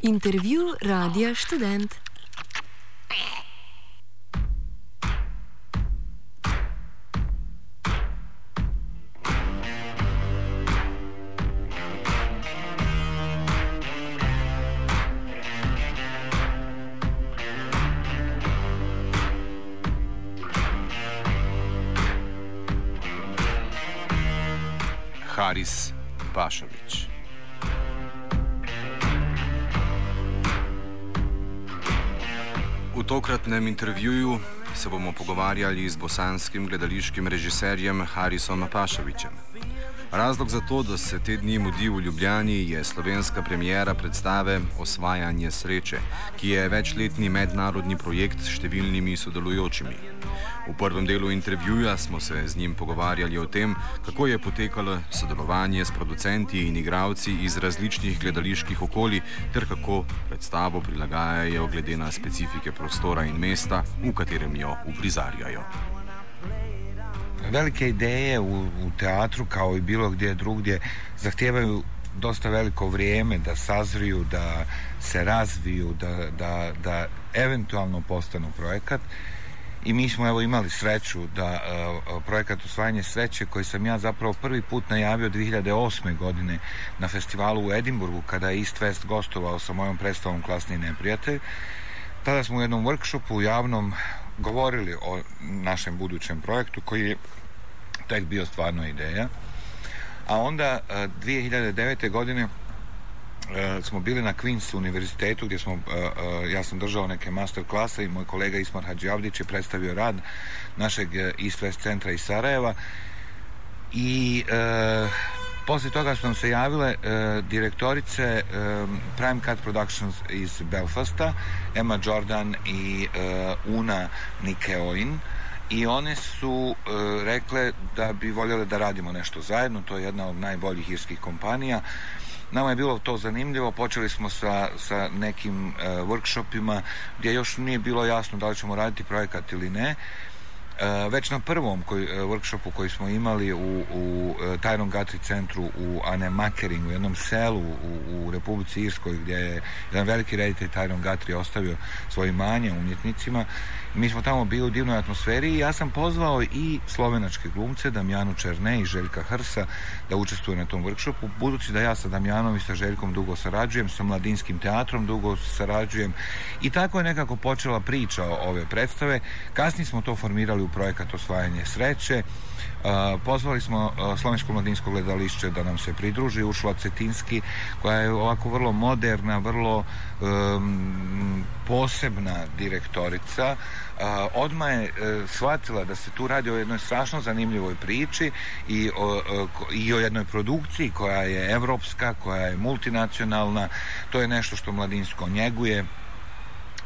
Intervju Radia Študent. Haris Pašalić. V tokratnem intervjuju se bomo pogovarjali z bosanskim gledališkim režiserjem Harisom Pašalićem. Razlog za to, da se te dni mudi v Ljubljani, je slovenska premiera predstave Osvajanje sreče, ki je večletni mednarodni projekt s številnimi sodelujočimi. V prvem delu intervjuja smo se z njim pogovarjali o tem, kako je potekalo sodelovanje s producenti in igralci iz različnih gledaliških okolij ter kako predstavo prilagajajo glede na specifike prostora in mesta, v katerem jo uprizarjajo. Velike ideje u teatru, kao i bilo gdje drugdje, zahtijevaju dosta veliko vrijeme da sazriju, da se razviju, da eventualno postanu projekat. I mi smo imali sreću da projekat Osvajanje sreće, koji sam ja zapravo prvi put najavio 2008. godine na festivalu u Edinburgu, kada je East West gostovao sa mojom predstavom Klasni neprijatelj. Tada smo u jednom workshopu javnom govorili o našem budućem projektu, koji je tek bio stvarno ideja. A onda 2009. godine smo bili na Queen's univerzitetu, gdje ja sam držao neke master klase i moj kolega Ismar Hadžiavdić je predstavio rad našeg East West centra iz Sarajeva. I poslije toga su nam se javile direktorice Prime Cut Productions iz Belfasta, Emma Jordan i Una Nikeoin, i one su rekle da bi voljele da radimo nešto zajedno. To je jedna od najboljih irskih kompanija. Nama je bilo to zanimljivo, počeli smo sa nekim workshopima gdje još nije bilo jasno da li ćemo raditi projekat ili ne. Već na prvom workshopu koji smo imali u Tyrone Guthrie centru u Annemakering, u jednom selu u Republici Irskoj, gdje je jedan veliki reditelj Tyrone Guthrie ostavio svoje imanje umjetnicima. Mi smo tamo bili u divnoj atmosferi i ja sam pozvao i slovenačke glumce, Damjanu Černe i Željka Hrsa, da učestvuju na tom workshopu, budući da ja sa Damjanom i sa Željkom dugo sarađujem, sa Mladinskim teatrom dugo sarađujem, i tako je nekako počela priča ove predstave. Kasnije smo to formirali u projekat Osvajanje sreće. Pozvali smo Slovensko mladinsko gledališće da nam se pridruži, Uršula Cetinski, koja je ovako vrlo moderna, vrlo posebna direktorica. Odmah je shvatila da se tu radi o jednoj strašno zanimljivoj priči i o jednoj produkciji koja je evropska, koja je multinacionalna. To je nešto što Mladinsko njeguje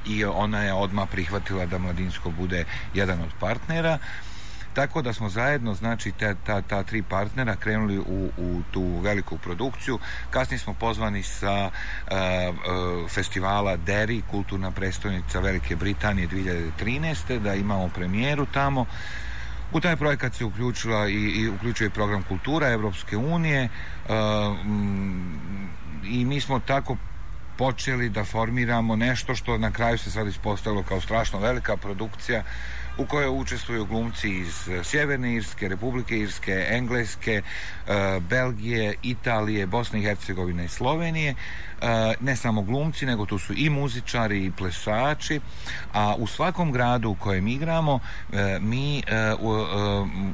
i ona je odmah prihvatila da Mladinsko bude jedan od partnera. Tako da smo zajedno, znači ta tri partnera, krenuli u tu veliku produkciju. Kasnije smo pozvani sa festivala Derry, kulturna prestolnica Velike Britanije 2013. da imamo premijeru tamo. U taj projekat se uključuje i program kultura Evropske unije i mi smo tako počeli da formiramo nešto što na kraju se sad ispostavilo kao strašno velika produkcija u kojoj učestvuju glumci iz Sjeverne Irske, Republike Irske, Engleske, Belgije, Italije, Bosne i Hercegovine i Slovenije. Ne samo glumci, nego tu su i muzičari i plesači, a u svakom gradu u kojem igramo mi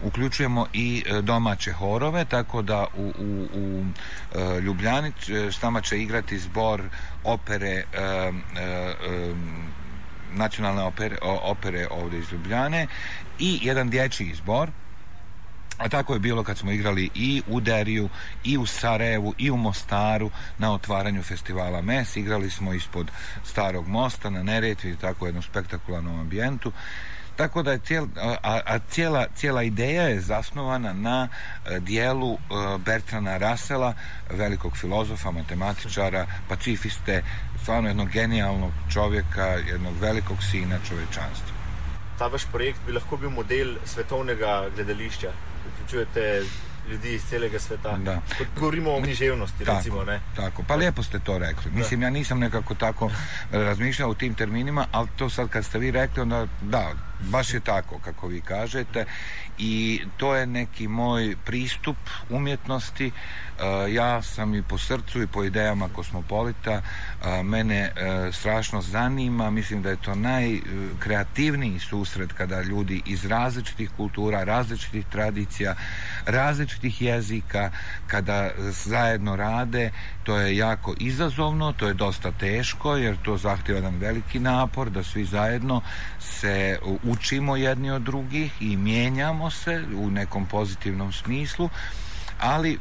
uključujemo i domaće horove, tako da u Ljubljani s nama će igrati zbor opere nacionalne opere ovdje iz Ljubljane i jedan dječji zbor. A tako je bilo kad smo igrali i u Deriju, i u Sarajevu, i u Mostaru na otvaranju festivala MES. Igrali smo ispod Starog mosta na Neretvi i tako jednom spektakularnom ambijentu. Tako da je cijela ideja je zasnovana na dijelu Bertranda Russella, velikog filozofa, matematičara, pacifiste, stvarno jednog genijalnog čovjeka, jednog velikog sina čovečanstva. Ta vaš projekt bi lahko bil model svetovnega gledališča. Vključujete ljudi iz celega sveta. Da. Kot govorimo o književnosti, recimo, ne? Tako, pa lijepo ste to rekli. Mislim, ja nisam nekako tako razmišljao u tim terminima, ali to sad kad ste vi rekli, onda da, baš je tako kako vi kažete i to je neki moj pristup umjetnosti. Ja sam i po srcu i po idejama kosmopolita, mene strašno zanima, mislim da je to najkreativniji susret kada ljudi iz različitih kultura, različitih tradicija, različitih jezika, kada zajedno rade, to je jako izazovno, to je dosta teško jer to zahtjeva jedan veliki napor da svi zajedno se učimo jedni od drugih i mijenjamo se u nekom pozitivnom smislu, ali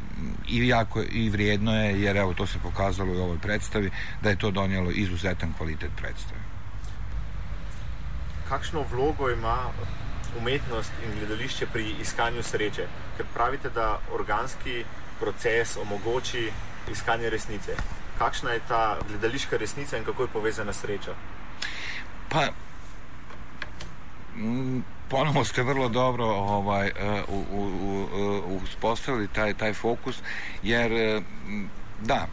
i vrijedno je, jer evo to se pokazalo i u ovoj predstavi, da je to donijelo izuzetan kvalitet predstave. Kakšno vlogo ima umetnost in gledališče pri iskanju sreče? Ker pravite, da organski proces omogoči iskanje resnice. Kakšna je ta gledališka resnica in kako je povezana sreča? Pa, ponovo ste vrlo dobro uspostavili taj fokus, jer da,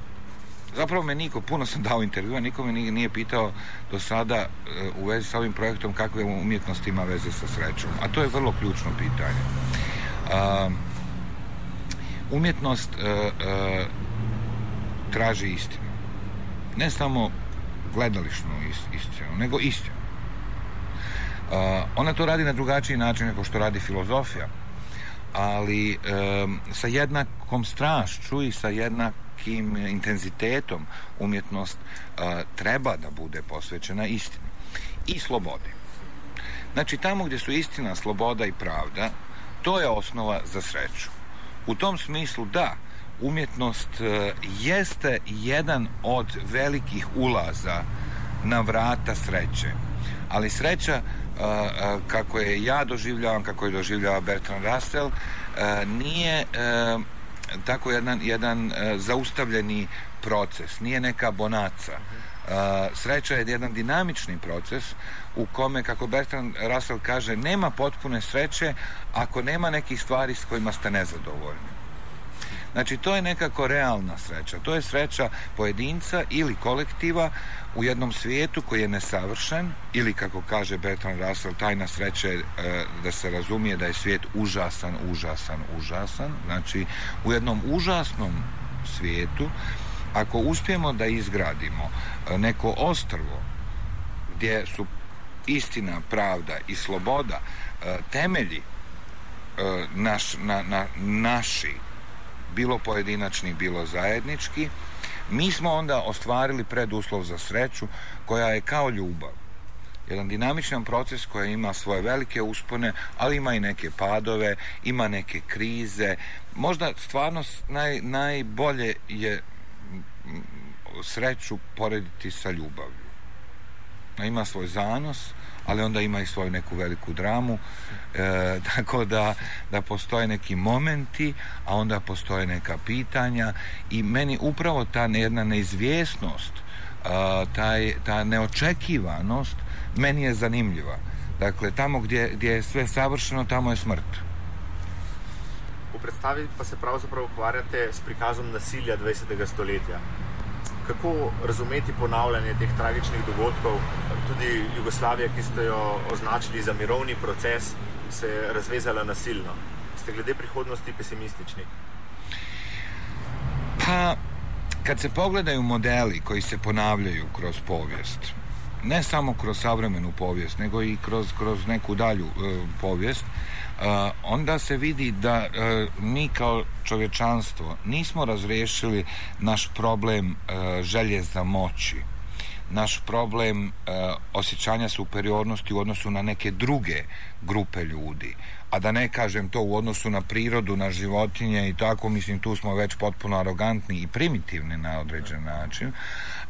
zapravo me puno sam dao intervjua, niko me nije pitao do sada u vezi sa ovim projektom kakve umjetnost ima veze sa srećom, a to je vrlo ključno pitanje. Umjetnost traži istinu, ne samo gledališnu istinu, nego istinu. Ona to radi na drugačiji način nego što radi filozofija, ali sa jednakom strašću i sa jednakim intenzitetom umjetnost treba da bude posvećena istini i slobodi. Znači, tamo gdje su istina, sloboda i pravda, to je osnova za sreću. U tom smislu, da, umjetnost jeste jedan od velikih ulaza na vrata sreće, ali sreća kako je ja doživljavam, kako je doživljava Bertrand Russell, nije tako jedan zaustavljeni proces, nije neka bonaca. Sreća je jedan dinamični proces u kome, kako Bertrand Russell kaže, nema potpune sreće ako nema nekih stvari s kojima ste nezadovoljni. Znači, to je nekako realna sreća. To je sreća pojedinca ili kolektiva u jednom svijetu koji je nesavršen, ili, kako kaže Bertrand Russell, tajna sreće je da se razumije da je svijet užasan. Znači, u jednom užasnom svijetu, ako uspijemo da izgradimo neko ostrvo gdje su istina, pravda i sloboda temelji naši, bilo pojedinačni, bilo zajednički, mi smo onda ostvarili preduslov za sreću koja je kao ljubav. Jedan dinamičan proces koji ima svoje velike uspone, ali ima i neke padove, ima neke krize. Možda stvarno najbolje je sreću porediti sa ljubavlju. Ima svoj zanos, ali onda ima i svoju neku veliku dramu, tako da postoje neki momenti, a onda postoje neka pitanja i meni upravo ta jedna neizvjesnost, ta neočekivanost meni je zanimljiva. Dakle, tamo gdje je sve savršeno, tamo je smrt. V predstavi pa se pravzaprav ukvarjate s prikazom nasilja 20. stoletja. Kako razumeti ponavljanje teh tragičnih dogodkov? Tudi Jugoslavija, ki ste jo označili za mirovni proces, se je razvezala nasilno. Ste glede prihodnosti pesimistični? Pa, kad se pogledaju modeli koji se ponavljaju kroz povijest, ne samo kroz savremenu povijest, nego i kroz neku dalju povijest, onda se vidi da mi kao čovječanstvo nismo razriješili naš problem želje za moći, naš problem osjećanja superiornosti u odnosu na neke druge grupe ljudi, a da ne kažem to u odnosu na prirodu, na životinje i tako, mislim, tu smo već potpuno arogantni i primitivni na određen način,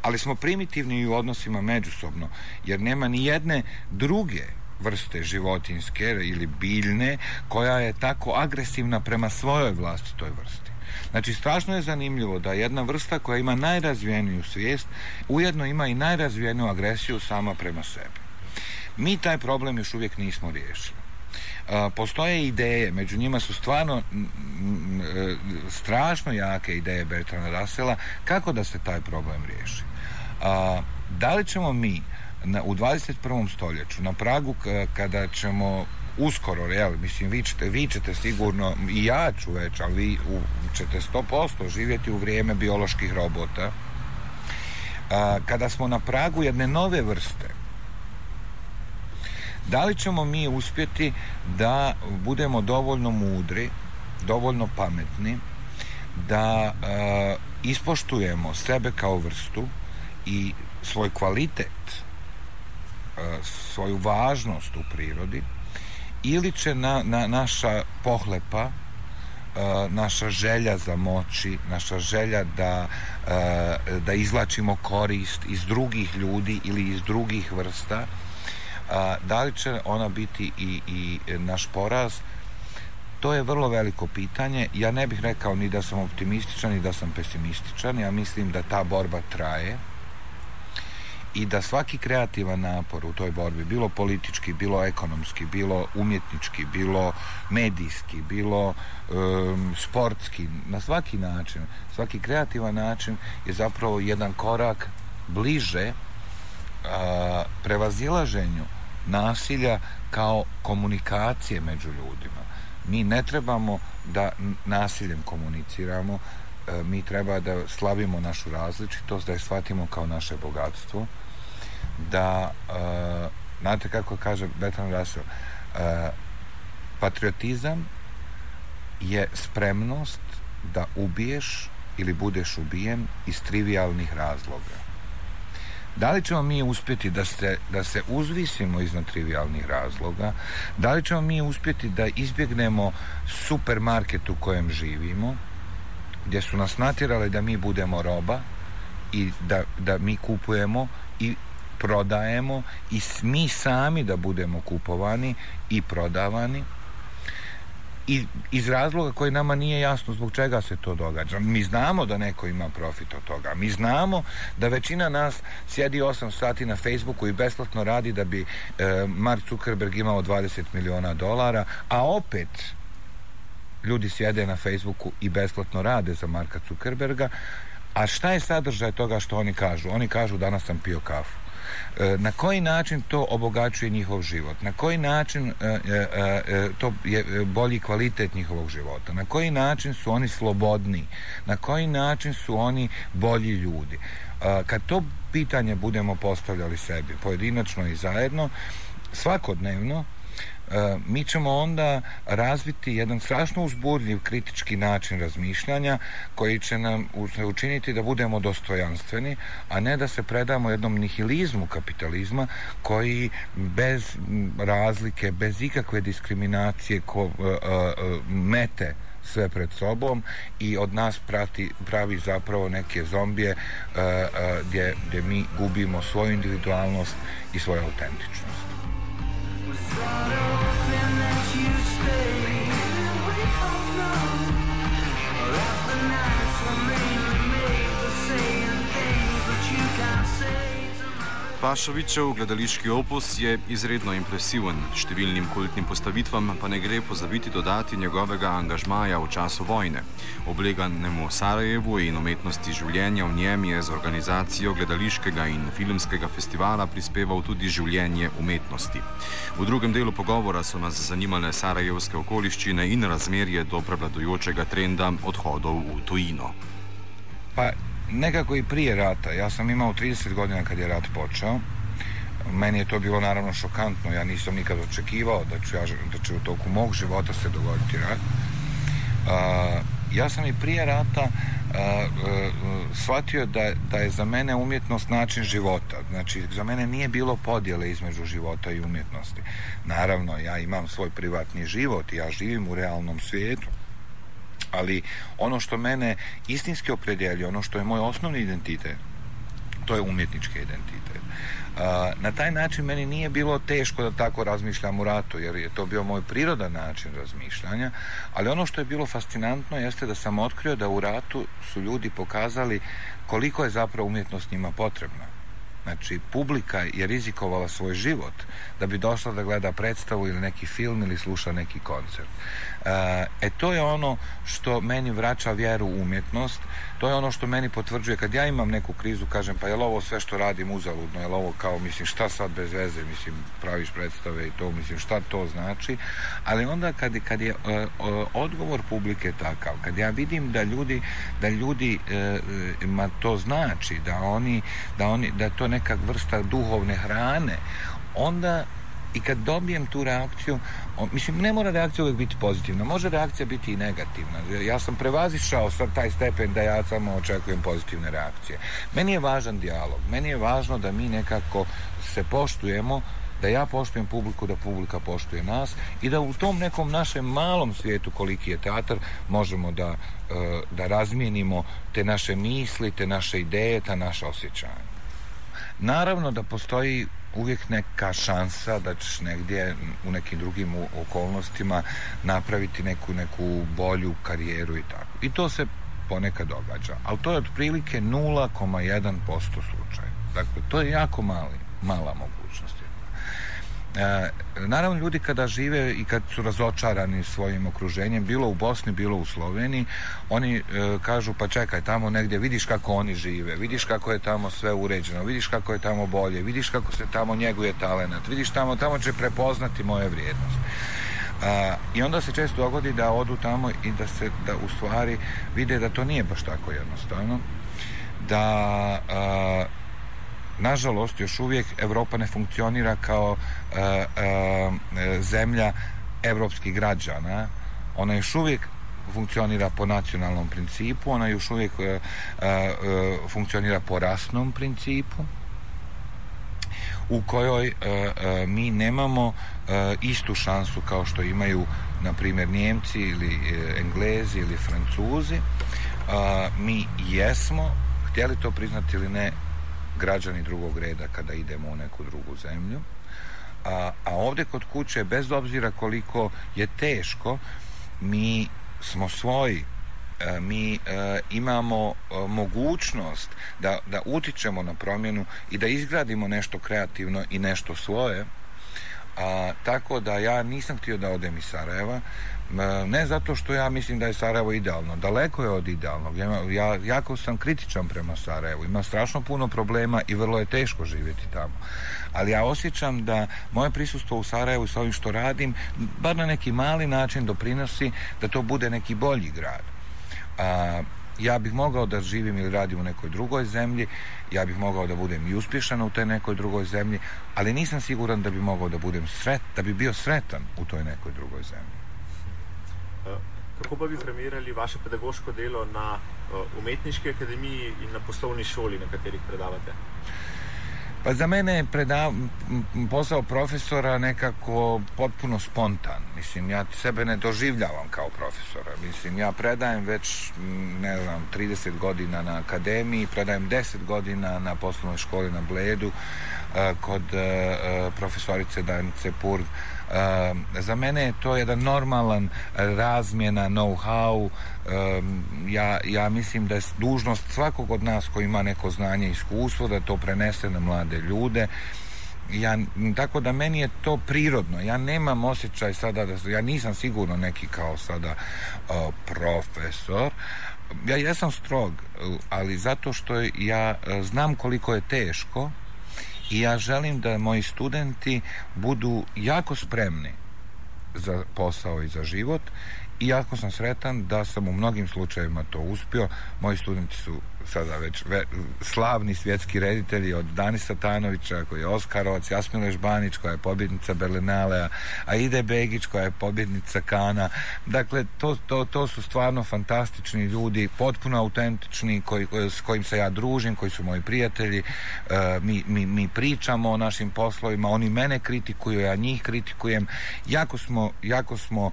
ali smo primitivni i u odnosima međusobno, jer nema ni jedne druge vrste životinjske ili biljne koja je tako agresivna prema svojoj vlastitoj vrsti. Znači, strašno je zanimljivo da jedna vrsta koja ima najrazvijeniju svijest ujedno ima i najrazvijeniju agresiju sama prema sebi. Mi taj problem još uvijek nismo riješili. Postoje ideje, među njima su stvarno strašno jake ideje Bertranda Russella kako da se taj problem riješi. Da li ćemo mi u 21. stoljeću, na pragu kada ćemo uskoro, mislim, vi ćete sigurno, i ja ću već, ali vi ćete 100% živjeti u vrijeme bioloških robota, kada smo na pragu jedne nove vrste, da li ćemo mi uspjeti da budemo dovoljno mudri, dovoljno pametni, da ispoštujemo sebe kao vrstu i svoj kvalitet, svoju važnost u prirodi, ili će naša pohlepa, naša želja za moći, naša želja da izvlačimo korist iz drugih ljudi ili iz drugih vrsta, da li će ona biti i naš poraz? To je vrlo veliko pitanje. Ja ne bih rekao ni da sam optimističan ni da sam pesimističan. Ja mislim da ta borba traje i da svaki kreativan napor u toj borbi, bilo politički, bilo ekonomski, bilo umjetnički, bilo medijski, bilo sportski, na svaki način, svaki kreativan način je zapravo jedan korak bliže prevazilaženju nasilja kao komunikacije među ljudima. Mi ne trebamo da nasiljem komuniciramo, mi treba da slavimo našu različitost, da je shvatimo kao naše bogatstvo, da, znate kako kaže Bertrand Russell, patriotizam je spremnost da ubiješ ili budeš ubijen iz trivijalnih razloga. Da li ćemo mi uspjeti da se uzvisimo iznad trivijalnih razloga? Da li ćemo mi uspjeti da izbjegnemo supermarket u kojem živimo, gdje su nas natjerali da mi budemo roba i da mi kupujemo i prodajemo i mi sami da budemo kupovani i prodavani, i iz razloga koji nama nije jasno zbog čega se to događa. Mi znamo da neko ima profit od toga. Mi znamo da većina nas sjedi 8 sati na Facebooku i besplatno radi da bi Mark Zuckerberg imao $20 miliona, a opet ljudi sjede na Facebooku i besplatno rade za Marka Zuckerberga. A šta je sadržaj toga što oni kažu? Oni kažu danas sam pio kafu. Na koji način to obogaćuje njihov život? Na koji način to je bolji kvalitet njihovog života? Na koji način su oni slobodni? Na koji način su oni bolji ljudi? Kad to pitanje budemo postavljali sebi, pojedinačno i zajedno, svakodnevno, mi ćemo onda razviti jedan strašno uzburljiv kritički način razmišljanja koji će nam učiniti da budemo dostojanstveni, a ne da se predamo jednom nihilizmu kapitalizma koji bez razlike, bez ikakve diskriminacije mete sve pred sobom i od nas pravi zapravo neke zombije gdje mi gubimo svoju individualnost i svoju autentičnost. Pašovićev gledališki opus je izredno impresiven, številnim kultnim postavitvam pa ne gre pozabiti dodati njegovega angažmaja v času vojne. Obleganemu Sarajevu in umetnosti življenja v njem je z organizacijo gledališkega in filmskega festivala prispeval tudi življenje umetnosti. V drugem delu pogovora so nas zanimale sarajevske okoliščine in razmerje do prevladujočega trenda odhodov v tujino. Pa nekako i prije rata. Ja sam imao 30 godina kad je rat počeo. Meni je to bilo naravno šokantno. Ja nisam nikad očekivao da će u toku mog života se dogoditi rat. Ja sam i prije rata shvatio da je za mene umjetnost način života. Znači, za mene nije bilo podjele između života i umjetnosti. Naravno, ja imam svoj privatni život i ja živim u realnom svijetu. Ali ono što mene istinski opredjeljuje, ono što je moj osnovni identitet, to je umjetnički identitet. Na taj način meni nije bilo teško da tako razmišljam u ratu, jer je to bio moj prirodan način razmišljanja, ali ono što je bilo fascinantno jeste da sam otkrio da u ratu su ljudi pokazali koliko je zapravo umjetnost njima potrebna. Znači, publika je rizikovala svoj život da bi došla da gleda predstavu ili neki film ili sluša neki koncert. To je ono što meni vraća vjeru u umjetnost, to je ono što meni potvrđuje kad ja imam neku krizu, kažem pa je li ovo sve što radim uzaludno, je li ovo kao, mislim, šta sad bez veze, mislim, praviš predstave i to, mislim, šta to znači, ali onda kad je odgovor publike takav, kad ja vidim da ljudi ma to znači, da je to neka vrsta duhovne hrane, onda i kad dobijem tu reakciju, mislim, ne mora reakcija uvijek biti pozitivna, može reakcija biti i negativna. Ja sam prevazišao sad taj stepen da ja samo očekujem pozitivne reakcije. Meni je važan dijalog, meni je važno da mi nekako se poštujemo, da ja poštujem publiku, da publika poštuje nas i da u tom nekom našem malom svijetu koliki je teatar možemo da razmijenimo te naše misli, te naše ideje, ta naša osjećanja. Naravno da postoji uvijek neka šansa da ćeš negdje u nekim drugim okolnostima napraviti neku bolju karijeru i tako. I to se ponekad događa, ali to je otprilike 0,1% slučaja. Dakle, to je jako mala mogućnost. Naravno, ljudi kada žive i kad su razočarani svojim okruženjem, bilo u Bosni, bilo u Sloveniji, oni kažu pa čekaj, tamo negdje vidiš kako oni žive, vidiš kako je tamo sve uređeno, vidiš kako je tamo bolje, vidiš kako se tamo njeguje talenat, vidiš tamo će prepoznati moje vrijednost. I onda se često dogodi da odu tamo i da u stvari vide da to nije baš tako jednostavno, da nažalost, još uvijek Evropa ne funkcionira kao zemlja evropskih građana. Ona još uvijek funkcionira po nacionalnom principu, ona još uvijek funkcionira po rasnom principu, u kojoj mi nemamo istu šansu kao što imaju, na primjer, Njemci ili Englezi ili Francuzi. Mi jesmo, htjeli to priznati ili ne, građani drugog reda kada idemo u neku drugu zemlju, a ovdje kod kuće, bez obzira koliko je teško, mi smo svoji, mi imamo mogućnost da utičemo na promjenu i da izgradimo nešto kreativno i nešto svoje, tako da ja nisam htio da odem iz Sarajeva, ne zato što ja mislim da je Sarajevo idealno, daleko je od idealnog. Ja jako sam kritičan prema Sarajevu, ima strašno puno problema i vrlo je teško živjeti tamo, ali ja osjećam da moje prisustvo u Sarajevu s ovim što radim bar na neki mali način doprinosi da to bude neki bolji grad. Ja bih mogao da živim ili radim u nekoj drugoj zemlji, ja bih mogao da budem i uspješan u toj nekoj drugoj zemlji, ali nisam siguran da bi mogao da bi bio sretan u toj nekoj drugoj zemlji. Kako pa bi primerjali vaše pedagoško delo na umetniški akademiji in na poslovni šoli, na katerih predavate? Pa za mene je posao profesora nekako potpuno spontan. Mislim, ja sebe ne doživljavam kao profesora. Mislim, ja predajem već, 30 godina na akademiji, predajem 10 godina na poslovnoj školi na Bledu, kod profesorice Danice Purg. Za mene je to jedan normalan razmjena know-how. Ja mislim da je dužnost svakog od nas koji ima neko znanje i iskustvo da to prenese na mlade ljude. Tako da meni je to prirodno. Ja nemam osjećaj sada ja nisam sigurno neki kao sada profesor. Ja jesam strog, ali zato što ja znam koliko je teško i ja želim da moji studenti budu jako spremni za posao i za život i jako sam sretan da sam u mnogim slučajevima to uspio. Moji studenti su sada već slavni svjetski reditelji, od Danisa Tanovića koji je Oskarovac, Jasmile Žbanić koja je pobjednica Berlinalea, Aide Begić koja je pobjednica Kana. Dakle, to su stvarno fantastični ljudi, potpuno autentični, s kojim se ja družim, koji su moji prijatelji. Mi pričamo o našim poslovima, oni mene kritikuju, ja njih kritikujem. Jako smo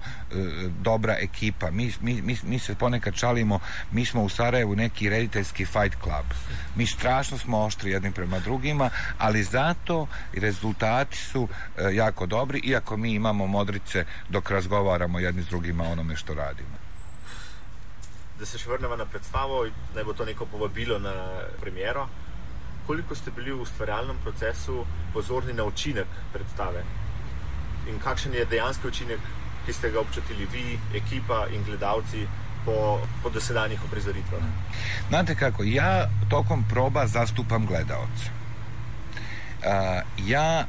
dobra ekipa. Mi se ponekad šalimo, mi smo u Sarajevu neki rediteljski fight club. Mi strašno smo oštri jednim prema drugima, ali zato rezultati su jako dobri, iako mi imamo modrice dok razgovaramo jedni s drugima o onome što radimo. Da se še vrnemo na predstavo, naj bo to neko povabilo na premiero. koliko ste bili v ustvarjalnem procesu pozorni na učinek predstave in kakšen je dejanski učinek, ki ste ga občutili vi, ekipa in gledalci po dosedanjih uprizoritvah? Znate kako, ja tokom proba zastupam gledaoca. Ja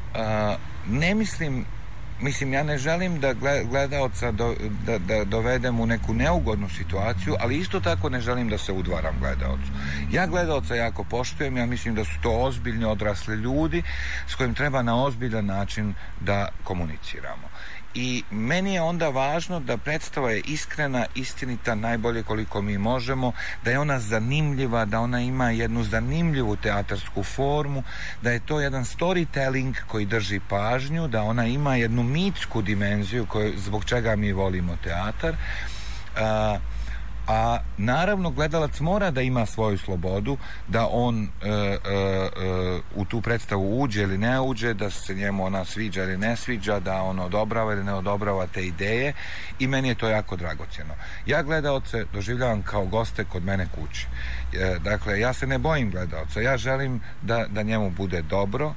ne želim da gledaoca da dovedem u neku neugodnu situaciju, ali isto tako ne želim da se udvaram gledaocu. Ja gledaoca jako poštujem, ja mislim da su to ozbiljni odrasli ljudi s kojim treba na ozbiljan način da komuniciramo. I meni je onda važno da predstava je iskrena, istinita, najbolje koliko mi možemo, da je ona zanimljiva, da ona ima jednu zanimljivu teatarsku formu, da je to jedan storytelling koji drži pažnju, da ona ima jednu mitsku dimenziju zbog čega mi volimo teatar. A naravno gledalac mora da ima svoju slobodu, da on u tu predstavu uđe ili ne uđe, da se njemu ona sviđa ili ne sviđa, da on odobrava ili ne odobrava te ideje, i meni je to jako dragocjeno. Ja gledaoce doživljavam kao goste kod mene kući. Dakle, ja se ne bojim gledaoca, ja želim da njemu bude dobro,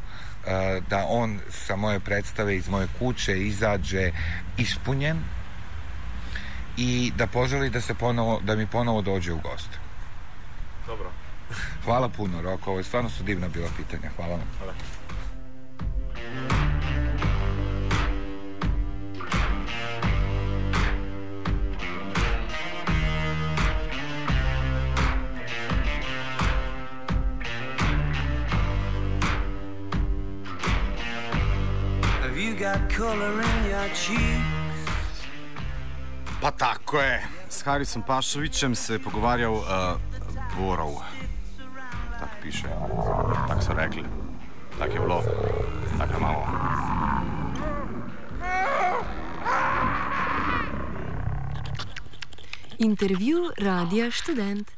da on sa moje predstave iz moje kuće izađe ispunjen i da poželi da mi ponovo dođe u goste. Dobro. Hvala puno, Roko, ovo je stvarno su divna bila pitanja. Hvala vam. Hvala. Have you got color in your cheeks? Pa tako je, s Harisom Pašovićem se pogovarjal Borov. Tak piše, tak so rekli, tak je bilo, tak je malo. Intervju Radia Študent.